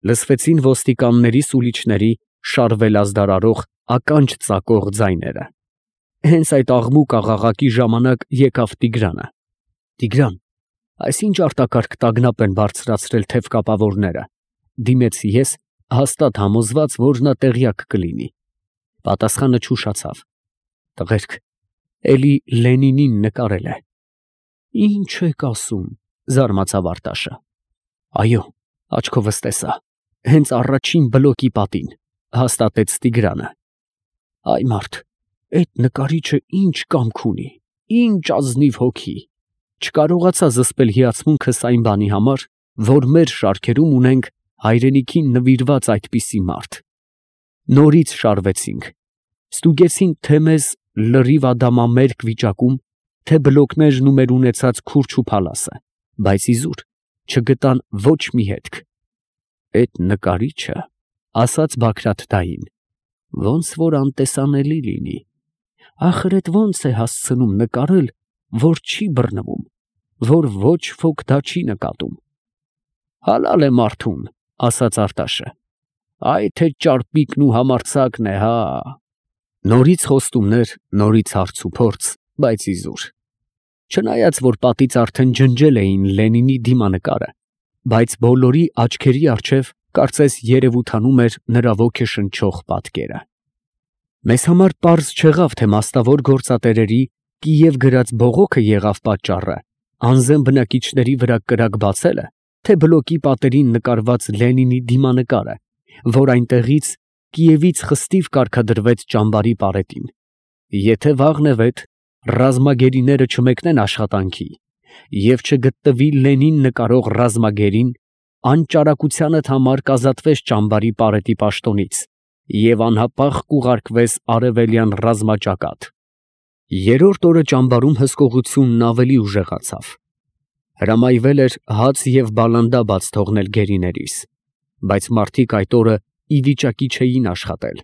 Լսվեցին ոստիկանների սուլիչների շարվել ազդարարող ականջ ծակող ձայները։ Հենց այդ աղմուկ աղաղակի ժամանակ եկավ Տիգրանը։ «Տիգրան, այս ինչ արտակարգ տագնապ են բարձրացրել թևկապավորները», դիմեցի ես, հաստատ համոզված, որ նա տեղյակ կլինի։ Պատասխանը չուշացավ. «Տղերք, էլի Լենինին նկարել է»։ «Ինչ եք ասում», զարմացավ Արտաշը։ «Այո, աչքովս տեսա, հենց առաջին բլոկի պատին», հաստատեց Տիգրանը։ «Այ մարդ, այդ նկարիչը ինչ կամք ունի, ինչ ազնիվ հոգի, չկարողացա զսպել հիացմունքս այն բանի համար, որ մեր շարքերում ունենք հայրենիքին նվիրված այդպիսի մարդ։ Նորից շարվեցինք, ստուգեցին թե մեզ լրիվ ադամամերկ վիճակում, թե բլոկներն ու մեր ունեցած քուրջ ու փալասը, բայց իզուր չգտան ոչ մի հետք։ Էդ նկարիչը, ասաց Բագրատ-դային, ոնց որ անտեսանելի լինի, ախր էդ ոնց է հասցնում նկարել, որ չի բռնվում, որ ոչ ոք դա չի նկատում։ Հալալ է մարդուն, ասաց Արտաշը, այ թե ճարպիկն ու համարձակն է, հա։ Նորից խոստումներ, նորից հարց ու փորձ, բայց իզուր։ Չնայած որ պատից արդեն ջնջել էին Լենինի դիմանկարը, բայց բոլորի աչքերի առջև կարծես երևութանում էր նրա ոգեշնչող պատկերը։ Մեզ համար պարզ չեղավ, թե մասնավոր գործատերերի Կիև գրած բողոքը եղավ պատճառը, անզեն բնակիչների վրա կրակ բացելը, թե բլոկի պատերին նկարված Լենինի դիմանկարը, որ այնտեղից Կիևից խստիվ կարգադրվեց ճամբարի պարետին։ Եթե վաղնևեթ ռազմագերիները չմեկնեն աշխատանքի և չգտնվի Լենին նկարող ռազմագերին, անճարակությանդ համար կազատվես ճամբարի պարետի պաշտոնից և անհապաղ կուղարկվես արևելյան ռազմաճակատ։ Երրորդ օրը ճամբարում հսկողությունն ավելի ուժեղացավ։ Հրամայվել էր հաց և բալանդա բաց թողնել գերիներիս, բայց մարդիկ այդ օրը ի վիճակի չէին աշխատել։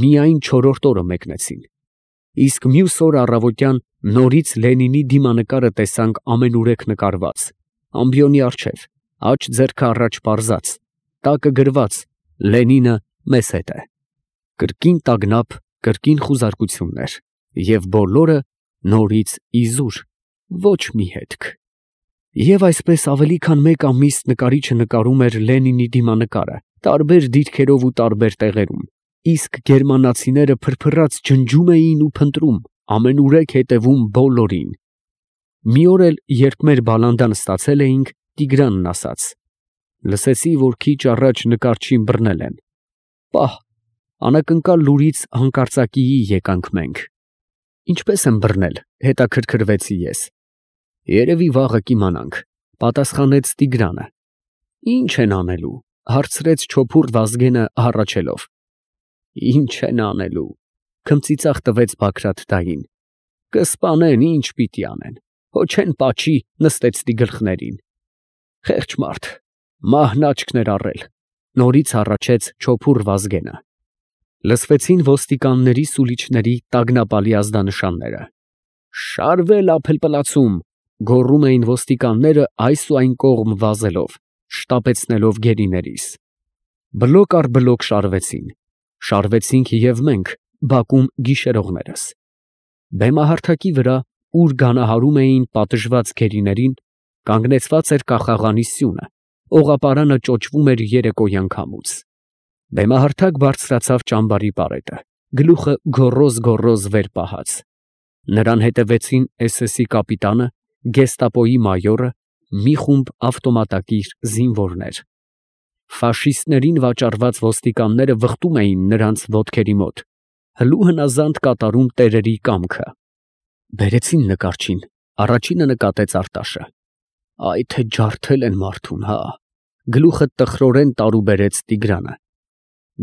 Միայն չորրորդ օրը մեկնեցին, իսկ մյուս օր առավոտյան նորից Լենինի դիմանկարը տեսանք ամենուրեք նկարված, ամբիոնի առջև, աջ ձեռքը առաջ պարզած, տակը գրված «Լենինը մեզ հետ է»։ Կրկին տագնապ, կրկին խուզարկություններ և բոլորը նորից իզուր, ոչ մի հետք։ Եվ այսպես ավելի քան մեկ ամիս նկարիչը նկարում էր Լենինի դիմանկարը, տարբեր դիրքերով ու տարբեր տեղերում, իսկ գերմանացիները փրփրած ջնջում էին ու փնտրում, ամենուրեք հետևում բոլորին։ Մի օր էլ, երբ մեր բալանդան ստացել էինք, Տիգրանն ասաց. «Լսեցի, որ քիչ առաջ նկարչին բռնել են։ Պահ, անակնկալ լուրից հանկարծակիի եկանք մենք»։ «Ինչպես են բռնել», հետաքրքրվեցի ես։ «Երևի վաղը կիմանանք», պատասխանեց Տիգրանը։ «Ինչ են անելու», հարցրեց չոփուռ Վազգենը հառաչելով։ «Ինչ են անելու», քմծիծաղ տվեց Բագրատ-դային։ «Կսպանեն, ինչ պիտի անեն, հո չեն պաչի նստեցնի գլխներին»։ «Խեղճ մարդ, մահն աչքն էր առել», նորից հառաչեց չոփուռ Վազգենը։ Լսվեցին ոստիկանների սուլիչների տագնապալի ազդանշանները։ «Շարվել ափլպլացում», գոռում էին ոստիկանները այս ու այն կողմ վազելով, շտապեցնելով գերիներիս։ Բլոկ առ բլոկ շարվեցին։ Շարվեցինք և մենք, բակում գիշերողներս։ Բեմահարթակի վրա, ուր գանահարում էին պատժված գերիներին, կանգնեցված էր կախաղանի սյունը, օղապարանը ճոճվում էր երեկոյան քամուց։ Բեմահարթակ բարձրացավ ճամբարի պարետը, գլուխը գոռոզ վեր պահած։ Նրան հետևեցին SS-ի կապիտանը, գեստապոյի մայորը, մի խումբ ավտոմատակիր զինվորներ։ Ֆաշիստներին վաճառված ոստիկանները վխտում էին նրանց ոտքերի մոտ, հլու հնազանդ կատարում տերերի կամքը։ «Բերեցին նկարչին», առաջինը նկատեց Արտաշը։ «Այ թե ջարդել են մարդուն, հա», գլուխը տխրորեն տարուբերեց Տիգրանը։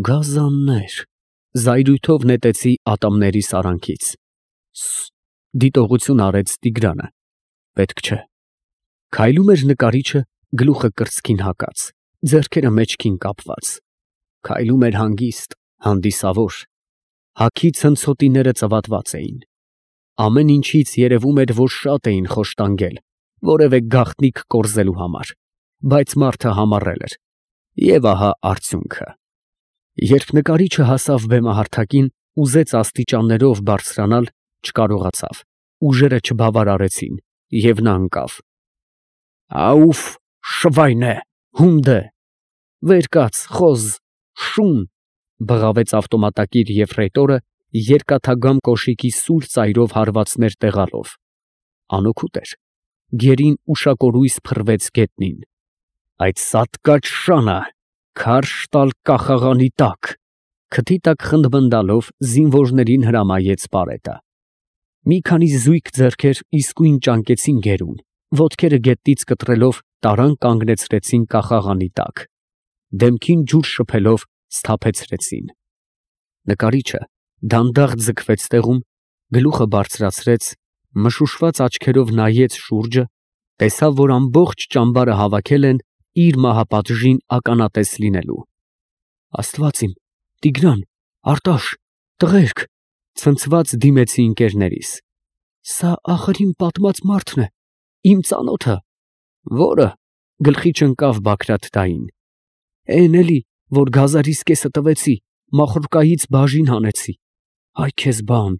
«Գազաններ», զայրույթով նետեցի ատամների սարանքից։ Դիտողություն արեց Տիգրանը։ «Պետք չէ»։ Քայլում էր նկարիչը, գլուխը կրծքին հակած, ձեռքերը մեջքին կապված։ Քայլում էր հանգիստ, հանդիսավոր։ Հագի ցնցոտիները ծվատված էին։ Ամեն ինչից երևում էր, որ շատ էին խոշտանգել որևէ գաղտնիք կորզելու համար, բայց մարդը համառել էր։ Եվ ահա արդյունքը։ Երբ նկարիչը հասավ բեմահարթակին, ուզեց աստիճաններով բարձրանալ, չկարողացավ, ուժերը չբավարարեցին, և նա ընկավ։ Աուֆ, շվայնե, հունդե, վեր կաց, խոզ, շուն, բղավեց ավտոմատակիր եֆրեյտորը, երկաթագամ կոշիկի սուր ծայրով հարվածներ տեղալով։ Անօգուտ էր, գերին ուշակորույս փռվեց գետնին։ Այդ սատկած շանը, քարշ տալ կախաղանի տակ, քթի տակ խնդմնդալով զինվորներին հրամայեց Պարետը։ Մի քանի զույգ ձեռքեր իսկույն ճանկեցին գերուն, ոտքերը գետնից կտրելով տարան կանգնեցրեցին կախաղանի տակ, դեմքին ջուր շփելով սթափեցրեցին։ Նկարիչը դանդաղ ձգվեց տեղում, գլուխը բարձրացրեց, մշուշված աչքերով նայեց շուրջը, տեսավ, որ ամբողջ ճամբարը հավաքել են իր մահապատժին ականատես լինելու։ Աստված իմ, Տիգրան, Արտաշ, տղերք, ցնցված դիմեցի ընկերներիս։ Սա ախր իմ պատմած մարդն է, իմ ծանոթը։ Որը, գլխի չընկավ Բագրատ֊դային։ Էն էլի, որ գազարիս կեսը տվեցի, մախորկայից բաժին հանեցի։ Այ քեզ բան,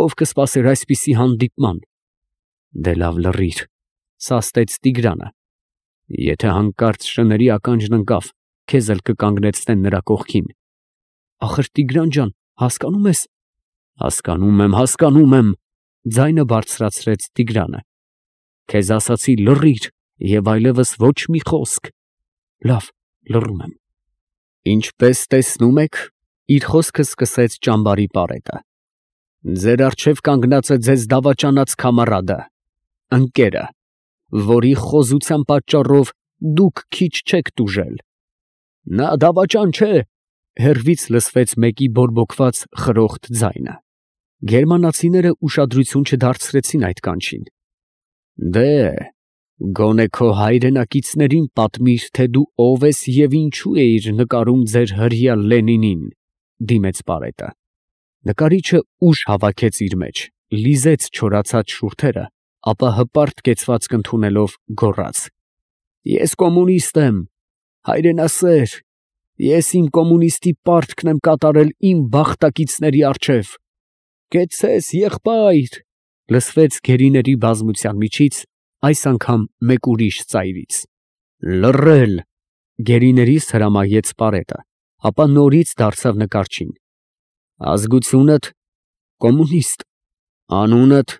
ով կսպասեր այսպիսի հանդիպման։ Դե լավ լռիր, սաստեց Տիգրանը։ Եթե հանկարծ շների ականջն ընկավ, քեզ էլ կկանգնեցնեն նրա կողքին։ Ախր Տիգրան ջան, հասկանում ես։ Հասկանում եմ, ձայնը բարձրացրեց Տիգրանը։ Քեզ ասացի լռիր և այլևս ոչ մի խոսք։ Լավ, լռում եմ։ Ինչպես տեսնում եք, իր խոսքը սկսեց ճամբարի Պարետը։ Ձեր առջև կանգնած է ձեզ դավաճանած քամարադը, ընկերը, որի խոզության պատճառով դուք քիչ չեք տուժել։ Նա դավաճան չէ, հեռվից լսվեց մեկի բորբոքված խրոխտ ձայնը։ Գերմանացիները ուշադրություն չդարձրեցին այդ կանչին։ Դե, գոնե քո հայրենակիցներին պատմիր, թե դու ով ես և ինչու էիր նկարում ձեր հրեա Լենինին, դիմեց Պարետը։ Նկարիչը ուժ հավաքեց իր մեջ, լիզեց չորացած շուրթերը, ապա հպարտ կեցվածք ընդունելով գոռաց. Ես կոմունիստ եմ, հայրենասեր, ես իմ կոմունիստի պարտքն եմ կատարել իմ բախտակիցների առջև։ Կեցցես, եղբայր, լսվեց գերիների բազմության միջից, այս անգամ մեկ ուրիշ ծայրից։ Լռել, գերիներից հրամայեց Պարետը, ապա նորից դարձավ նկարչին։ Ազգությունդ կոմունիստ, անունդ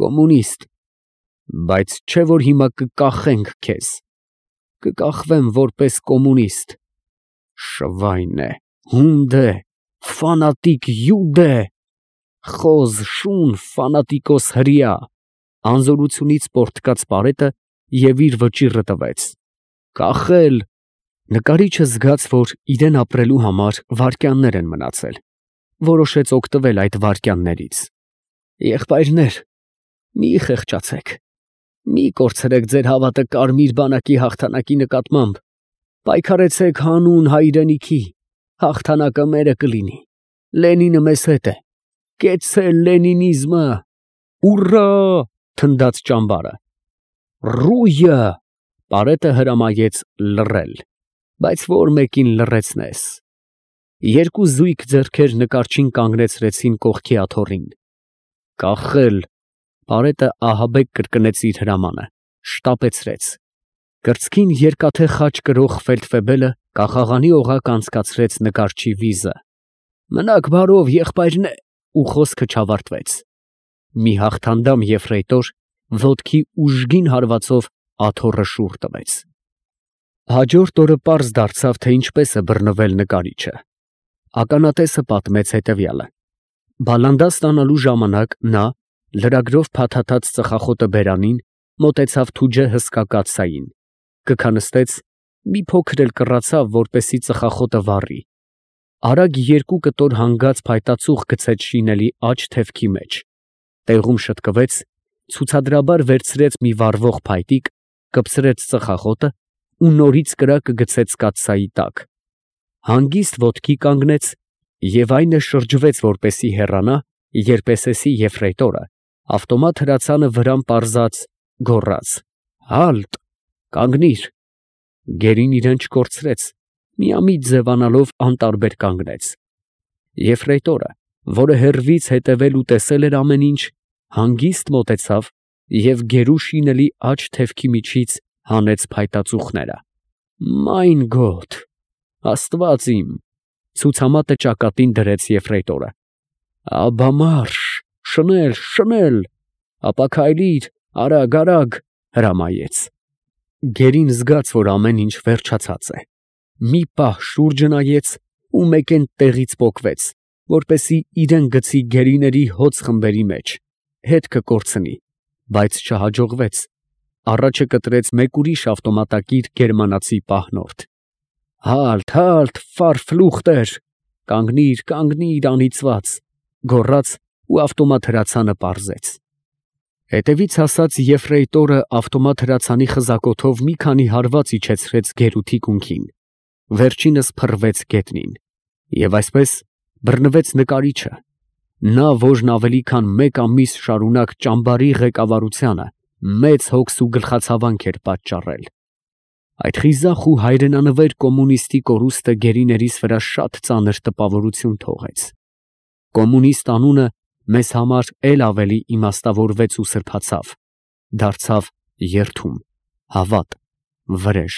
կոմունիստ, բայց չէ որ հիմա կկախենք քեզ։ Կկախվեմ որպես կոմունիստ։ Շվայնե, հունդե, ֆանատիկ յուդե, խոզ, շուն, ֆանատիկոս հրեա, անզորությունից պոռթկաց Պարետը և իր վճիռը տվեց։ Կախել։ Նկարիչը զգաց, որ իրեն ապրելու համար վայրկյաններ են մնացել, որոշեց օգտվել այդ վայրկյաններից։ Եղբայրներ, մի խեղճացեք, մի կորցրեք ձեր հավատը կարմիր բանակի հաղթանակի նկատմամբ, պայքարեցեք հանուն հայրենիքի, հաղթանակը մերը կլինի, Լենինը մեզ հետ է, կեցցե լենինիզմը, ուռա, թնդաց ճամբարը։ Ռույը, Պարետը հրամայեց լռել, բայց որ մեկին լռեցնես։ Երկու զույգ ձեռքեր նկարչին կանգնեցրեցին կողքի աթոռին։ Կախել, Պարետը ահաբեկ կրկնեց իր հրամանը, շտապեցրեց։ Կրծքին երկաթե խաչ կրող ֆելդֆեբելը կախաղանի օղակ անցկացրեց նկարչի վիզը։ Մնաք բարով, եղբայրնե, ու խոսքը չավարտվեց։ Մի հաղթանդամ եֆրեյտոր ոտքի ուժգին հարվածով աթոռը շուռ տվեց։ Հաջորդ օրը պարզ դարձավ, թե ինչպես է բռնվել նկարիչը։ Ականատեսը պատմեց հետևյալը. Բալանդա ստանալու ժամանակ նա, լրագրով փաթաթած ծխախոտը բերանին, մոտեցավ Թուջե հսկա կաթսային, կքանստեց, մի փոքր էլ կռացավ, որպեսի ծխախոտը վառի։ Արագ երկու կտոր հանգած փայտածուղ գցեց շինելի աջ թևքի մեջ, տեղում շտկվեց, ցուցադրաբար վերցրեց մի վառվող փայտիկ, կպցրեց ծխախոտը ու նորից կրակը գցեց կաթսայի տակ, հանգիստ ոտքի կանգնեց և այնը շրջվեց, որպեսի հեռանա, երբ էսեսի եֆրեյտորը ավտոմատ հրացանը վրան պարզած գոռաց. «Հալտ, կանգնիր»։ Գերին իրան չկորցրեց, միամիտ ձևանալով անտարբեր կանգնեց։ Եֆրեյտորը, որը հեռվից հետևել ու տեսել էր ամեն ինչ, հանգիստ մոտեցավ և գերու շինելի աջ թևքի միջից հանեց փայտածուխները։ «Մայն Գոտ, Աստված իմ», ցուցամատը ճակատին դրեց Եֆրեյտորը։ «Աբա մարշ, շնել, շնել, ապա քայլիր, արագ, արագ», հրամայեց։ Գերին զգաց, որ ամեն ինչ վերջացած է։ Մի պահ շուրջը նայեց ու մեկեն տեղից պոկվեց, որպեսզի իրան գցի գերիների հոծ խմբերի մեջ, հետքը կորցնի, բայց չհաջողվեց։ Առաջը կտրեց մեկ ուրիշ ավտոմատակիր գերմանացի պահնորդ։ «Հալթ, հալթ, ֆարֆլուխտեր, կանգնիր, կանգնիր, անիծված», գոռաց ու ավտոմատ հրացանը պարզեց։ Հետևից հասած Եֆրեյտորը ավտոմատ հրացանի խզակոթով մի քանի հարված իջեցրեց գերու թիկունքին, վերջինս փռվեց գետնին, և այսպես բռնվեց նկարիչը, նա, որն ավելի քան մեկ ամիս շարունակ ճամբարի ղեկավարությանը մեծ հոգս ու գլխացավանք էր պատճառել։ Այդ խիզախ ու հայրենանվեր կոմունիստի կորուստը գերիներիս վրա շատ ծանր տպավորություն թողեց։ Կոմունիստ անունը մեզ համար էլ ավելի իմաստավորվեց ու սրբացավ, դարձավ երդում, հավատ, վրեժ։